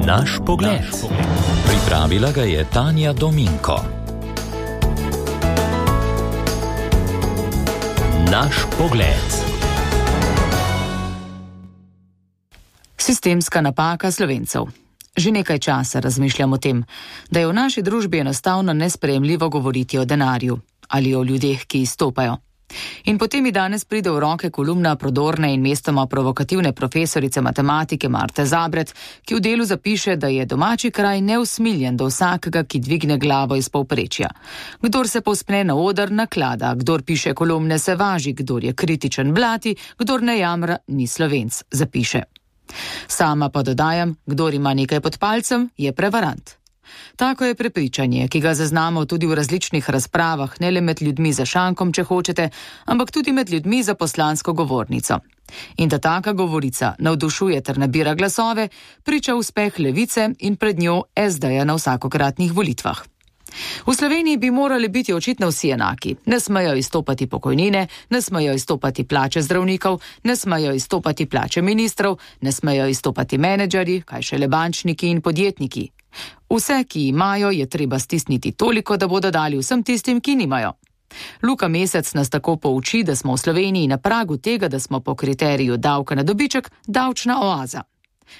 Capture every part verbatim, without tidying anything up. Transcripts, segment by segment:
Naš pogled. Pripravila ga je Tanja Dominko. Naš pogled. Sistemska napaka Slovencev. Že nekaj časa razmišljam o tem, da je v naši družbi enostavno nesprejemljivo govoriti o denarju ali o ljudeh, ki izstopajo. In potem mi danes pride v roke kolumna prodorne in mestoma provokativne profesorice matematike Marte Zabret, ki v delu zapiše, da je domači kraj neusmiljen do vsakega, ki dvigne glavo iz povprečja. Kdor se povzpne na oder, naklada, kdor piše kolumne, se važi, kdor je kritičen, blati, kdor ne jamra, ni Slovenc, zapiše. Sama pa dodajam, kdor ima nekaj pod palcem, je prevarant. Tako je prepričanje, ki ga zaznamo tudi v različnih razpravah, ne le med ljudmi za šankom, če hočete, ampak tudi med ljudmi za poslansko govornico. In da taka govorica navdušuje ter nabira glasove, priča uspeh Levice in pred njo es de-ja na vsakokratnih volitvah. V Sloveniji bi morali biti očitno vsi enaki. Ne smejo izstopati pokojnine, ne smejo izstopati plače zdravnikov, ne smejo izstopati plače ministrov, ne smejo izstopati menedžerji, kaj šele bančniki in podjetniki. Vse, ki imajo, je treba stisniti toliko, da bodo dali vsem tistim, ki nimajo. Luka Mesec nas tako pouči, da smo v Sloveniji na pragu tega, da smo po kriteriju davka na dobiček davčna oaza.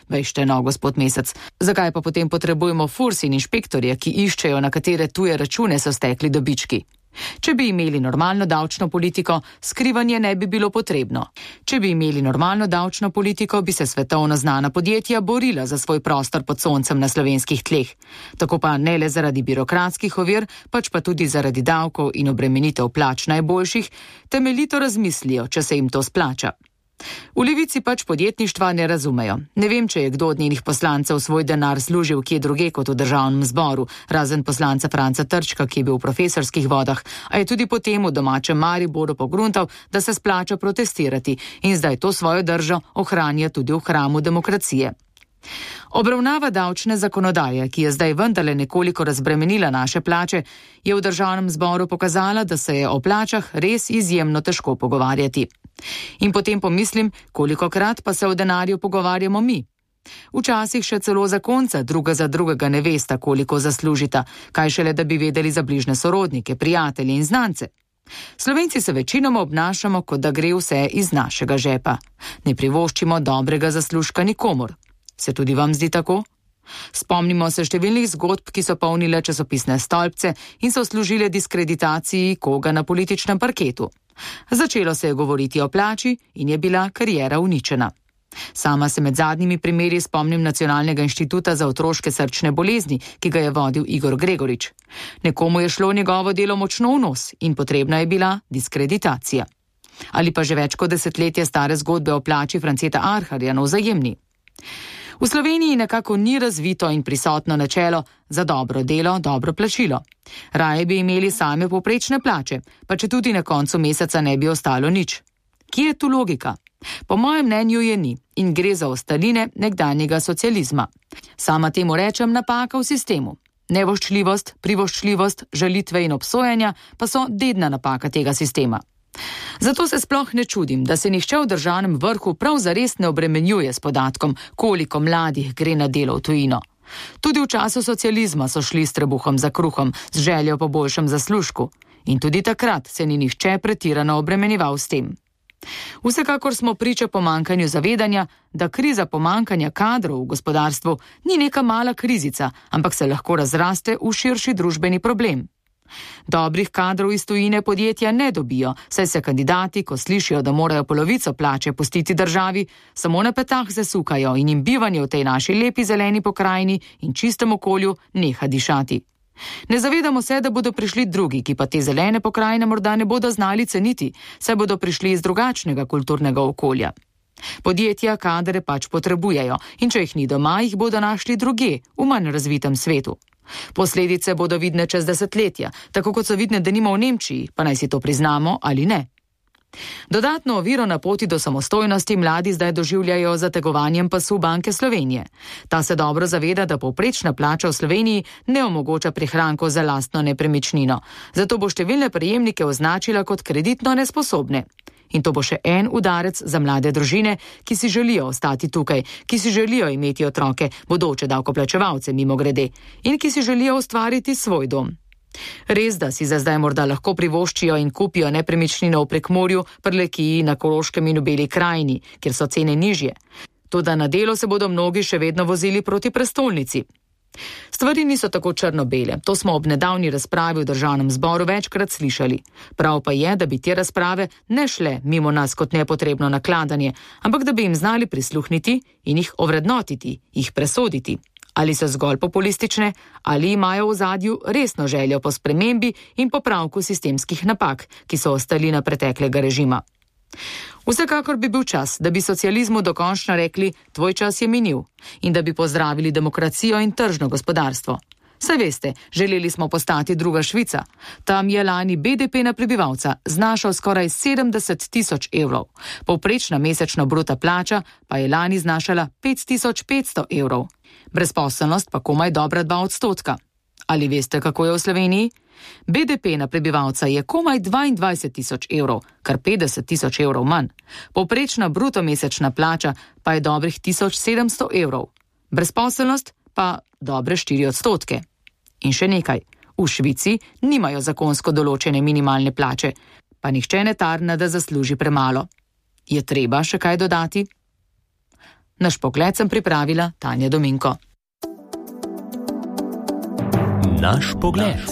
Vejšte no, gospod Mesec, zakaj pa potem potrebujemo Furs in inšpektorje, ki iščejo, na katere tuje račune so stekli dobički? Če bi imeli normalno davčno politiko, skrivanje ne bi bilo potrebno. Če bi imeli normalno davčno politiko, bi se svetovno znana podjetja borila za svoj prostor pod soncem na slovenskih tleh. Tako pa ne le zaradi birokratskih ovir, pač pa tudi zaradi davkov in obremenitev plač najboljših, temeljito razmislijo, če se jim to splača. V Levici pač podjetništva ne razumejo. Ne vem, če je kdo od njenih poslancev svoj denar služil kje druge kot v državnem zboru, razen poslanca Franca Trčka, ki je bil v profesorskih vodah, a je tudi potem v domačem Mariboru pogruntal, da se splača protestirati in zdaj to svojo držo ohranja tudi v hramu demokracije. Obravnava davčne zakonodaje, ki je zdaj vendarle nekoliko razbremenila naše plače, je v državnem zboru pokazala, da se je o plačah res izjemno težko pogovarjati. In potem pomislim, kolikokrat pa se o denarju pogovarjamo mi. Včasih še celo zakonca druga za drugega ne vesta, koliko zaslužita, kaj šele da bi vedeli za bližne sorodnike, prijatelje in znance. Slovenci se večinoma obnašamo, kot da gre vse iz našega žepa. Ne privoščimo dobrega zaslužka nikomur. Se tudi vam zdi tako? Spomnimo se številnih zgodb, ki so polnile časopisne stolpce in so služile diskreditaciji koga na političnem parketu. Začelo se je govoriti o plači in je bila kariera uničena. Sama se med zadnjimi primeri spomnim Nacionalnega inštituta za otroške srčne bolezni, ki ga je vodil Igor Gregorič. Nekomu je šlo njegovo delo močno v nos in potrebna je bila diskreditacija. Ali pa že več kot desetletje stare zgodbe o plači Franceta Arharja na Vzajemni. V Sloveniji nekako ni razvito in prisotno načelo za dobro delo, dobro plačilo. Raje bi imeli same povprečne plače, pa če tudi na koncu meseca ne bi ostalo nič. Kje je tu logika? Po mojem mnenju je ni in gre za ostaline nekdanjega socializma. Sama temu rečem napaka v sistemu. Nevoščljivost, privoščljivost, žalitve in obsojanja pa so dedna napaka tega sistema. Zato se sploh ne čudim, da se nihče v državnem vrhu prav zares ne obremenjuje s podatkom, koliko mladih gre na delo v tujino. Tudi v času socializma so šli s trebuhom za kruhom, z željo po boljšem zaslužku. In tudi takrat se ni nihče pretirano obremenjeval s tem. Vsekakor smo priča pomankanju zavedanja, da kriza pomankanja kadrov v gospodarstvu ni neka mala krizica, ampak se lahko razraste v širši družbeni problem. Dobrih kadrov iz tujine podjetja ne dobijo, saj se kandidati, ko slišijo, da morajo polovico plače pustiti državi, samo na petah zasukajo in jim bivanje v tej naši lepi zeleni pokrajini in čistem okolju neha dišati. Ne zavedamo se, da bodo prišli drugi, ki pa te zelene pokrajine morda ne bodo znali ceniti, saj bodo prišli iz drugačnega kulturnega okolja. Podjetja kadre pač potrebujejo in če jih ni doma, jih bodo našli druge, v manj razvitem svetu. Posledice bodo vidne čez desetletja, tako kot so vidne denimo v Nemčiji, pa naj si to priznamo ali ne. Dodatno oviro na poti do samostojnosti mladi zdaj doživljajo z zategovanjem pasu Banke Slovenije. Ta se dobro zaveda, da povprečna plača v Sloveniji ne omogoča prihrankov za lastno nepremičnino, zato bo številne prejemnike označila kot kreditno nesposobne. In to bo še en udarec za mlade družine, ki si želijo ostati tukaj, ki si želijo imeti otroke, bodoče davkoplačevalce mimogrede, in ki si želijo ustvariti svoj dom. Res, da si za zdaj morda lahko privoščijo in kupijo nepremičnino v Prekmurju, Prlekiji, na Koroškem in v Beli krajini, kjer so cene nižje. Toda na delo se bodo mnogi še vedno vozili proti prestolnici. Stvari niso tako črno-bele, to smo ob nedavni razpravi v državnem zboru večkrat slišali. Prav pa je, da bi te razprave ne šle mimo nas kot nepotrebno nakladanje, ampak da bi jim znali prisluhniti in jih ovrednotiti, jih presoditi. Ali so zgolj populistične, ali imajo v ozadju resno željo po spremembi in popravku sistemskih napak, ki so ostali na preteklega režima. Vsekakor bi bil čas, da bi socializmu dokončno rekli, tvoj čas je minil, in da bi pozdravili demokracijo in tržno gospodarstvo. Saj veste, želeli smo postati druga Švica. Tam je lani B D P na prebivalca znašal skoraj sedemdeset tisoč evrov. Povprečna mesečna bruta plača pa je lani znašala pet tisoč petsto evrov. Brezposelnost pa komaj dobra dva odstotka. Ali veste, kako je v Sloveniji? B D P na prebivalca je komaj dvaindvajset tisoč evrov, kar petdeset tisoč evrov manj. Povprečna bruto mesečna plača pa je dobrih tisoč sedemsto evrov. Brezposelnost pa dobre štiri odstotke. In še nekaj, v Švici nimajo zakonsko določene minimalne plače, pa nihče ne tarna, da zasluži premalo. Je treba še kaj dodati? Naš pogled sem pripravila Tanja Dominko. Naš pogled.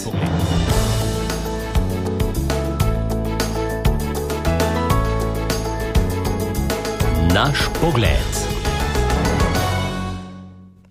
Naš pogled.